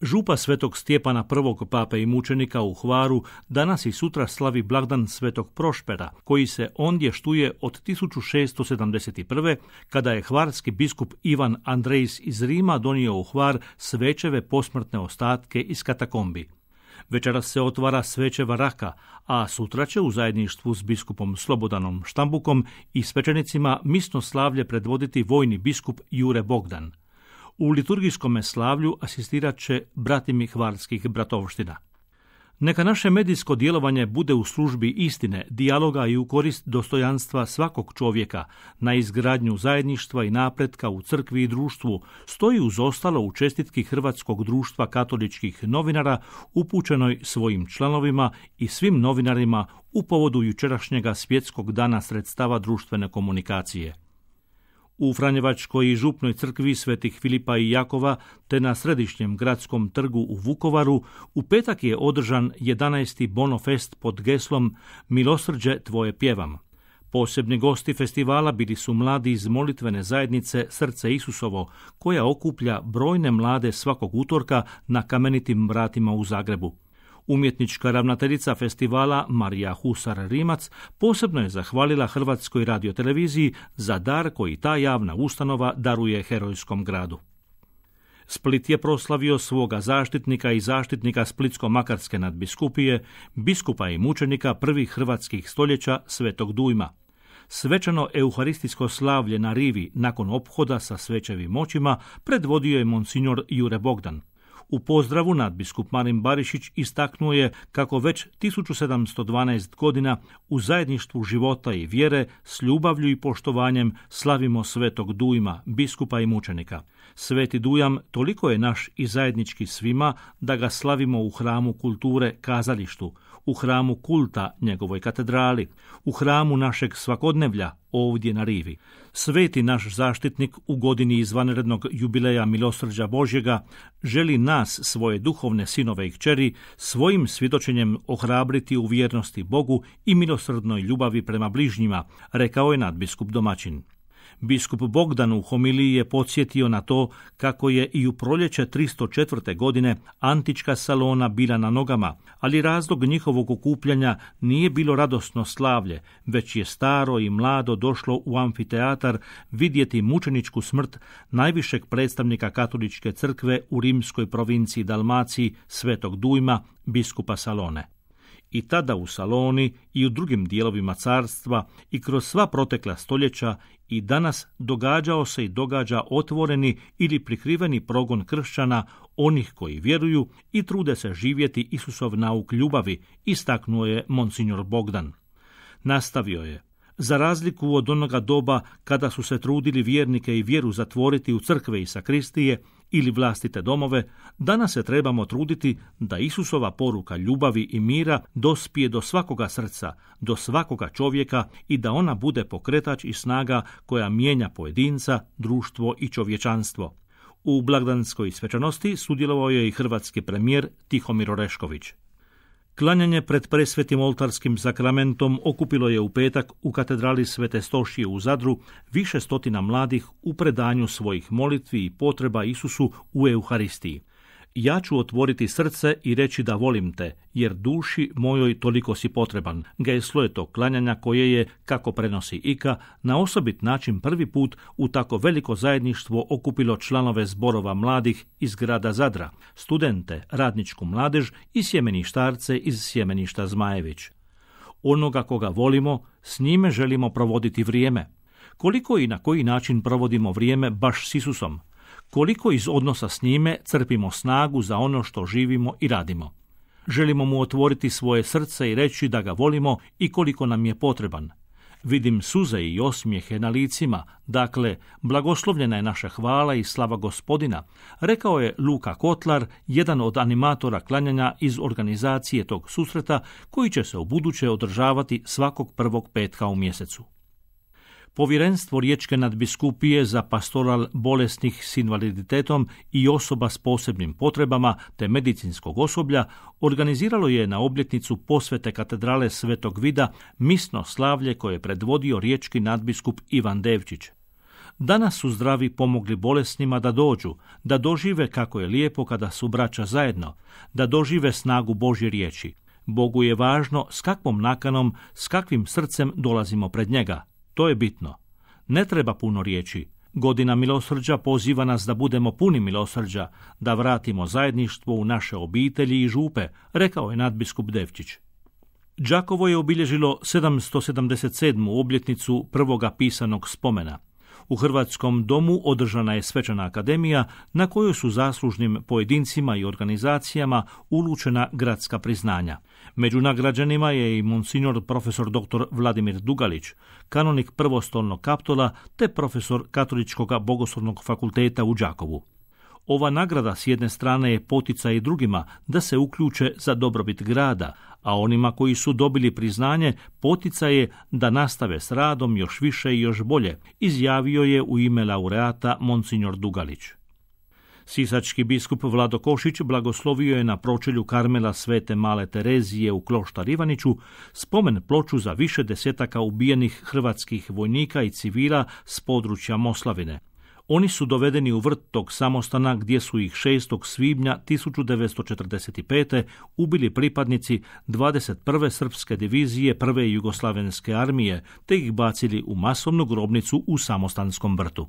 Župa svetog Stjepana I. pape i mučenika u Hvaru danas i sutra slavi blagdan svetog Prošpera, koji se ondje štuje od 1671. kada je hvarski biskup Ivan Andrejs iz Rima donio u Hvar Svećeve posmrtne ostatke iz katakombi. Večeras se otvara Svećeva raka, a sutra će u zajedništvu s biskupom Slobodanom Štambukom i svećenicima misno slavlje predvoditi vojni biskup Jure Bogdan. U liturgijskom slavlju asistirat će bratimi hvarskih bratovština. Neka naše medijsko djelovanje bude u službi istine, dijaloga i u korist dostojanstva svakog čovjeka, na izgradnju zajedništva i napretka u crkvi i društvu, stoji uz ostalo u čestitki Hrvatskog društva katoličkih novinara upućenoj svojim članovima i svim novinarima u povodu jučerašnjega svjetskog dana sredstava društvene komunikacije. U Franjevačkoj i župnoj crkvi svetih Filipa i Jakova te na središnjem gradskom trgu u Vukovaru u petak je održan 11. Bonofest pod geslom Milosrđe tvoje pjevam. Posebni gosti festivala bili su mladi iz molitvene zajednice Srce Isusovo, koja okuplja brojne mlade svakog utorka na Kamenitim vratima u Zagrebu. Umjetnička ravnateljica festivala Marija Husar-Rimac posebno je zahvalila Hrvatskoj radioteleviziji za dar koji ta javna ustanova daruje herojskom gradu. Split je proslavio svoga zaštitnika i zaštitnika Splitsko-makarske nadbiskupije, biskupa i mučenika prvih hrvatskih stoljeća Svetog Dujma. Svečano euharistijsko slavlje na rivi nakon ophoda sa svećevim moćima predvodio je monsignor Jure Bogdan. U pozdravu nadbiskup Marin Barišić istaknuo je kako već 1712 godina u zajedništvu života i vjere s ljubavlju i poštovanjem slavimo Svetog Dujma, biskupa i mučenika. Sveti Dujam toliko je naš i zajednički svima da ga slavimo u hramu kulture kazalištu, u hramu kulta njegovoj katedrali, u hramu našeg svakodnevlja ovdje na rivi. Sveti naš zaštitnik u godini izvanrednog jubileja Milosrđa Božjega želi nas, svoje duhovne sinove i kćeri, svojim svjedočenjem ohrabriti u vjernosti Bogu i milosrdnoj ljubavi prema bližnjima, rekao je nadbiskup domaćin. Biskup Bogdan u homiliji je podsjetio na to kako je i u proljeće 304. godine antička Salona bila na nogama, ali razlog njihovog okupljanja nije bilo radosno slavlje, već je staro i mlado došlo u amfiteatar vidjeti mučeničku smrt najvišeg predstavnika katoličke crkve u rimskoj provinciji Dalmaciji, Svetog Dujma, biskupa Salone. I tada u Saloni i u drugim dijelovima carstva i kroz sva protekla stoljeća i danas događao se i događa otvoreni ili prikriveni progon kršćana, onih koji vjeruju i trude se živjeti Isusov nauk ljubavi, istaknuo je monsignor Bogdan. Nastavio je: za razliku od onoga doba kada su se trudili vjernike i vjeru zatvoriti u crkve i sakristije ili vlastite domove, danas se trebamo truditi da Isusova poruka ljubavi i mira dospije do svakoga srca, do svakoga čovjeka i da ona bude pokretač i snaga koja mijenja pojedinca, društvo i čovječanstvo. U blagdanskoj svečanosti sudjelovao je i hrvatski premijer Tihomir Orešković. Klanjanje pred presvetim oltarskim sakramentom okupilo je u petak u katedrali Svete Stošije u Zadru više stotina mladih u predanju svojih molitvi i potreba Isusu u Euharistiji. Ja ću otvoriti srce i reći da volim te, jer duši mojoj toliko si potreban. Geslo je to klanjanja koje je, kako prenosi Ika, na osobit način prvi put u tako veliko zajedništvo okupilo članove zborova mladih iz grada Zadra, studente, radničku mladež i sjemeništarce iz sjemeništa Zmajević. Onoga koga volimo, s njime želimo provoditi vrijeme. Koliko i na koji način provodimo vrijeme baš s Isusom? Koliko iz odnosa s njime crpimo snagu za ono što živimo i radimo? Želimo mu otvoriti svoje srce i reći da ga volimo i koliko nam je potreban. Vidim suze i osmijehe na licima, dakle, blagoslovljena je naša hvala i slava Gospodina, rekao je Luka Kotlar, jedan od animatora klanjanja iz organizacije tog susreta, koji će se ubuduće održavati svakog prvog petka u mjesecu. Povjerenstvo Riječke nadbiskupije za pastoral bolesnih s invaliditetom i osoba s posebnim potrebama te medicinskog osoblja organiziralo je na obljetnicu posvete katedrale Svetog Vida misno slavlje koje je predvodio riječki nadbiskup Ivan Devčić. Danas su zdravi pomogli bolesnima da dođu, da dožive kako je lijepo kada su braća zajedno, da dožive snagu Božje riječi. Bogu je važno s kakvom nakanom, s kakvim srcem dolazimo pred njega. To je bitno. Ne treba puno riječi. Godina milosrđa poziva nas da budemo puni milosrđa, da vratimo zajedništvo u naše obitelji i župe, rekao je nadbiskup Devčić. Đakovo je obilježilo 777. obljetnicu prvoga pisanog spomena. U Hrvatskom domu održana je svečana akademija na kojoj su zaslužnim pojedincima i organizacijama uručena gradska priznanja. Među nagrađenima je i monsignor profesor dr. Vladimir Dugalić, kanonik prvostolnog Kaptola te profesor Katoličkog bogoslovnog fakulteta u Đakovu. Ova nagrada s jedne strane je poticaj i drugima da se uključe za dobrobit grada, a onima koji su dobili priznanje poticaj je da nastave s radom još više i još bolje, izjavio je u ime laureata monsignor Dugalić. Sisački biskup Vlado Košić blagoslovio je na pročelju Karmela Svete Male Terezije u Kloštar Ivaniću spomen ploču za više desetaka ubijenih hrvatskih vojnika i civila s područja Moslavine. Oni su dovedeni u vrt tog samostana gdje su ih 6. svibnja 1945. ubili pripadnici 21. srpske divizije 1. jugoslavenske armije te ih bacili u masovnu grobnicu u samostanskom vrtu.